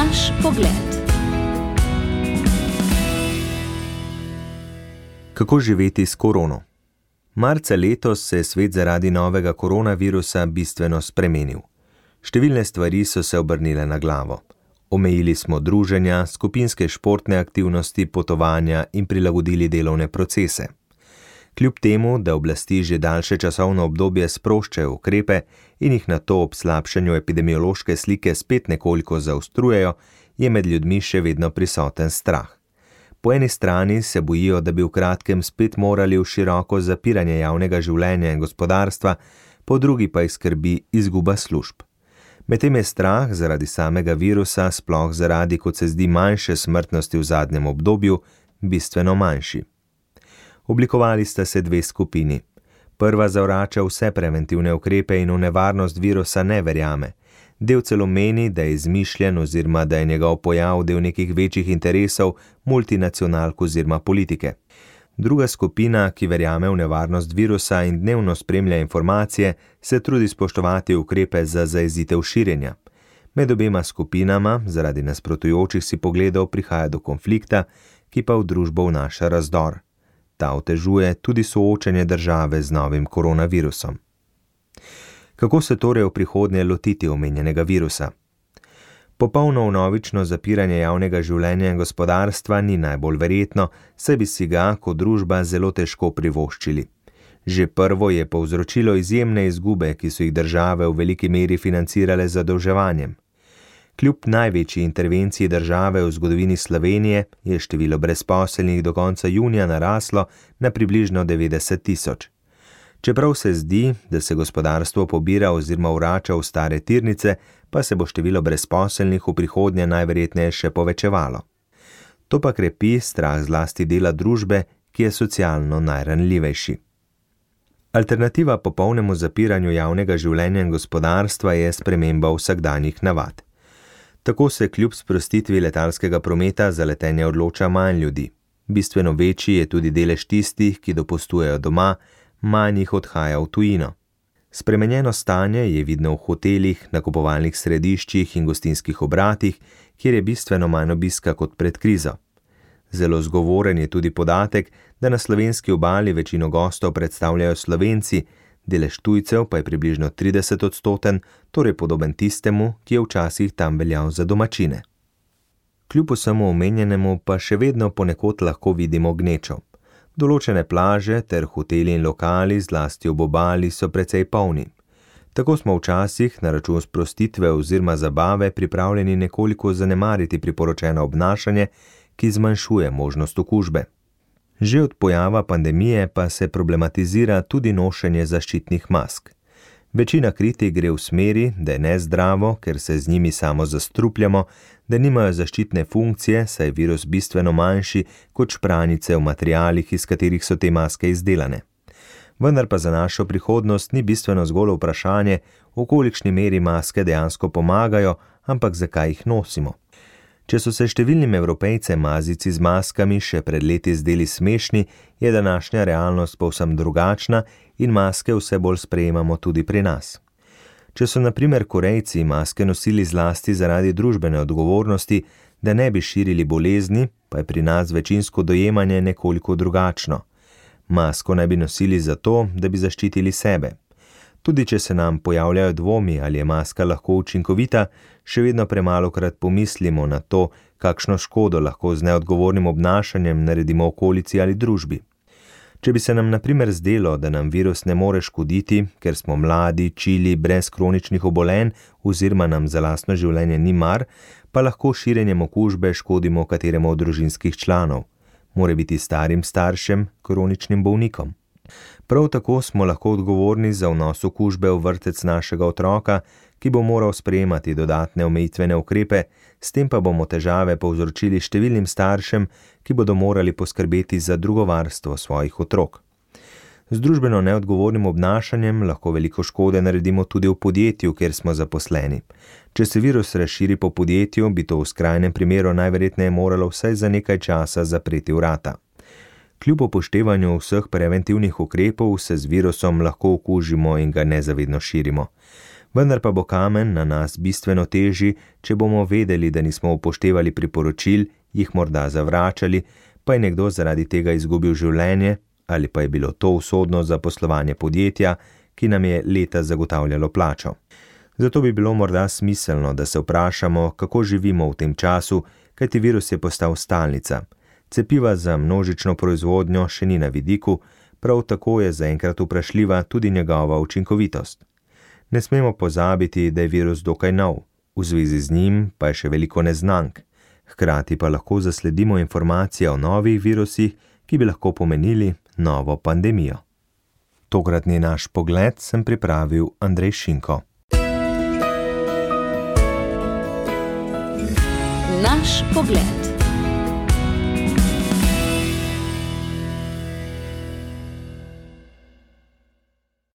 Naš pogled. Kako živeti s korono? Marca letos se je svet zaradi novega koronavirusa bistveno spremenil. Številne stvari so se obrnile na glavo. Omejili smo druženja, skupinske športne aktivnosti, potovanja in prilagodili delovne procese. Kljub temu, da oblasti že daljše časovno obdobje sproščajo ukrepe in jih nato ob slabšanju epidemiološke slike spet nekoliko zaostrujejo, je med ljudmi še vedno prisoten strah. Po eni strani se bojijo, da bi v kratkem spet morali v široko zapiranje javnega življenja in gospodarstva, po drugi pa jih skrbi izguba služb. Medtem je strah zaradi samega virusa, sploh zaradi, kot se zdi, manjše smrtnosti v zadnjem obdobju, bistveno manjši. Oblikovali sta se dve skupini. Prva zavrača vse preventivne ukrepe in v nevarnost virusa ne verjame. Del celo meni, da je izmišljen oziroma da je njegov pojav del nekih večjih interesov multinacionalk oziroma politike. Druga skupina, ki verjame v nevarnost virusa in dnevno spremlja informacije, se trudi spoštovati ukrepe za zajezitev širjenja. Med obema skupinama, zaradi nasprotujočih si pogledov, prihaja do konflikta, ki pa v družbo vnaša razdor. Ta otežuje tudi soočenje države z novim koronavirusom. Kako se torej v prihodnje lotiti omenjenega virusa? Popolno vnovično zapiranje javnega življenja in gospodarstva ni najbolj verjetno, saj bi si ga kot družba zelo težko privoščili. Že prvo je povzročilo izjemne izgube, ki so jih države v veliki meri financirale z zadolževanjem. Kljub največji intervenciji države v zgodovini Slovenije je število brezposelnih do konca junija naraslo na približno 90 tisoč. Čeprav se zdi, da se gospodarstvo pobira oziroma vrača v stare tirnice, pa se bo število brezposelnih v prihodnje najverjetneje še povečevalo. To pa krepi strah zlasti dela družbe, ki je socialno najranljivejši. Alternativa popolnemu zapiranju javnega življenja in gospodarstva je sprememba vsakdanjih navad. Tako se kljub sprostitvi letalskega prometa za letenje odloča manj ljudi. Bistveno večji je tudi delež tistih, ki dopustujejo doma, manj jih odhaja v tujino. Spremenjeno stanje je vidno v hotelih, nakupovalnih središčih in gostinskih obratih, kjer je bistveno manj obiska kot pred krizo. Zelo zgovoren je tudi podatek, da na slovenski obali večino gostov predstavljajo Slovenci, delež tujcev pa je približno 30%, torej podoben tistemu, ki je včasih tam veljal za domačine. Kljub vsemu omenjenemu pa še vedno ponekod lahko vidimo gnečo. Določene plaže ter hoteli in lokali, zlasti ob obali, so precej polni. Tako smo včasih na račun sprostitve oziroma zabave pripravljeni nekoliko zanemariti priporočeno obnašanje, ki zmanjšuje možnost okužbe. Že od pojava pandemije pa se problematizira tudi nošenje zaščitnih mask. Večina kritik gre v smeri, da je nezdravo, ker se z njimi samo zastrupljamo, da nimajo zaščitne funkcije, saj je virus bistveno manjši kot špranice v materialih, iz katerih so te maske izdelane. Vendar pa za našo prihodnost ni bistveno zgolj vprašanje, v kolikšni meri maske dejansko pomagajo, ampak zakaj jih nosimo. Če so se številnim Evropejcem mazici z maskami še pred leti zdeli smešni, je današnja realnost povsem drugačna in maske vse bolj sprejemamo tudi pri nas. Če so na primer Korejci maske nosili zlasti zaradi družbene odgovornosti, da ne bi širili bolezni, pa je pri nas večinsko dojemanje nekoliko drugačno. Masko naj bi nosili zato, da bi zaščitili sebe. Tudi če se nam pojavljajo dvomi, ali je maska lahko učinkovita, še vedno premalokrat pomislimo na to, kakšno škodo lahko z neodgovornim obnašanjem naredimo okolici ali družbi. Če bi se nam na primer zdelo, da nam virus ne more škoditi, ker smo mladi, čili, brez kroničnih obolenj oziroma nam za lastno življenje ni mar, pa lahko širjenjem okužbe škodimo kateremu od družinskih članov, morebiti starim staršem, kroničnim bolnikom. Prav tako smo lahko odgovorni za vnos okužbe v vrtec našega otroka, ki bo moral sprejemati dodatne omejitvene ukrepe, s tem pa bomo težave povzročili številnim staršem, ki bodo morali poskrbeti za drugo varstvo svojih otrok. Z družbeno neodgovornim obnašanjem lahko veliko škode naredimo tudi v podjetju, kjer smo zaposleni. Če se virus razširi po podjetju, bi to v skrajnem primeru najverjetneje moralo vsaj za nekaj časa zapreti vrata. Kljub upoštevanju vseh preventivnih ukrepov se z virusom lahko okužimo in ga nezavedno širimo. Vendar pa bo kamen na nas bistveno težji, če bomo vedeli, da nismo upoštevali priporočil, jih morda zavračali, pa je nekdo zaradi tega izgubil življenje, ali pa je bilo to usodno za poslovanje podjetja, ki nam je leta zagotavljalo plačo. Zato bi bilo morda smiselno, da se vprašamo, kako živimo v tem času, kajti virus je postal stalnica. Cepiva za množično proizvodnjo še ni na vidiku, prav tako je zaenkrat vprašljiva tudi njegova učinkovitost. Ne smemo pozabiti, da je virus dokaj nov, v zvezi z njim pa je še veliko neznank. Hkrati pa lahko zasledimo informacije o novih virusih, ki bi lahko pomenili novo pandemijo. Tokratni naš pogled sem pripravil Andrej Šinko. Naš pogled.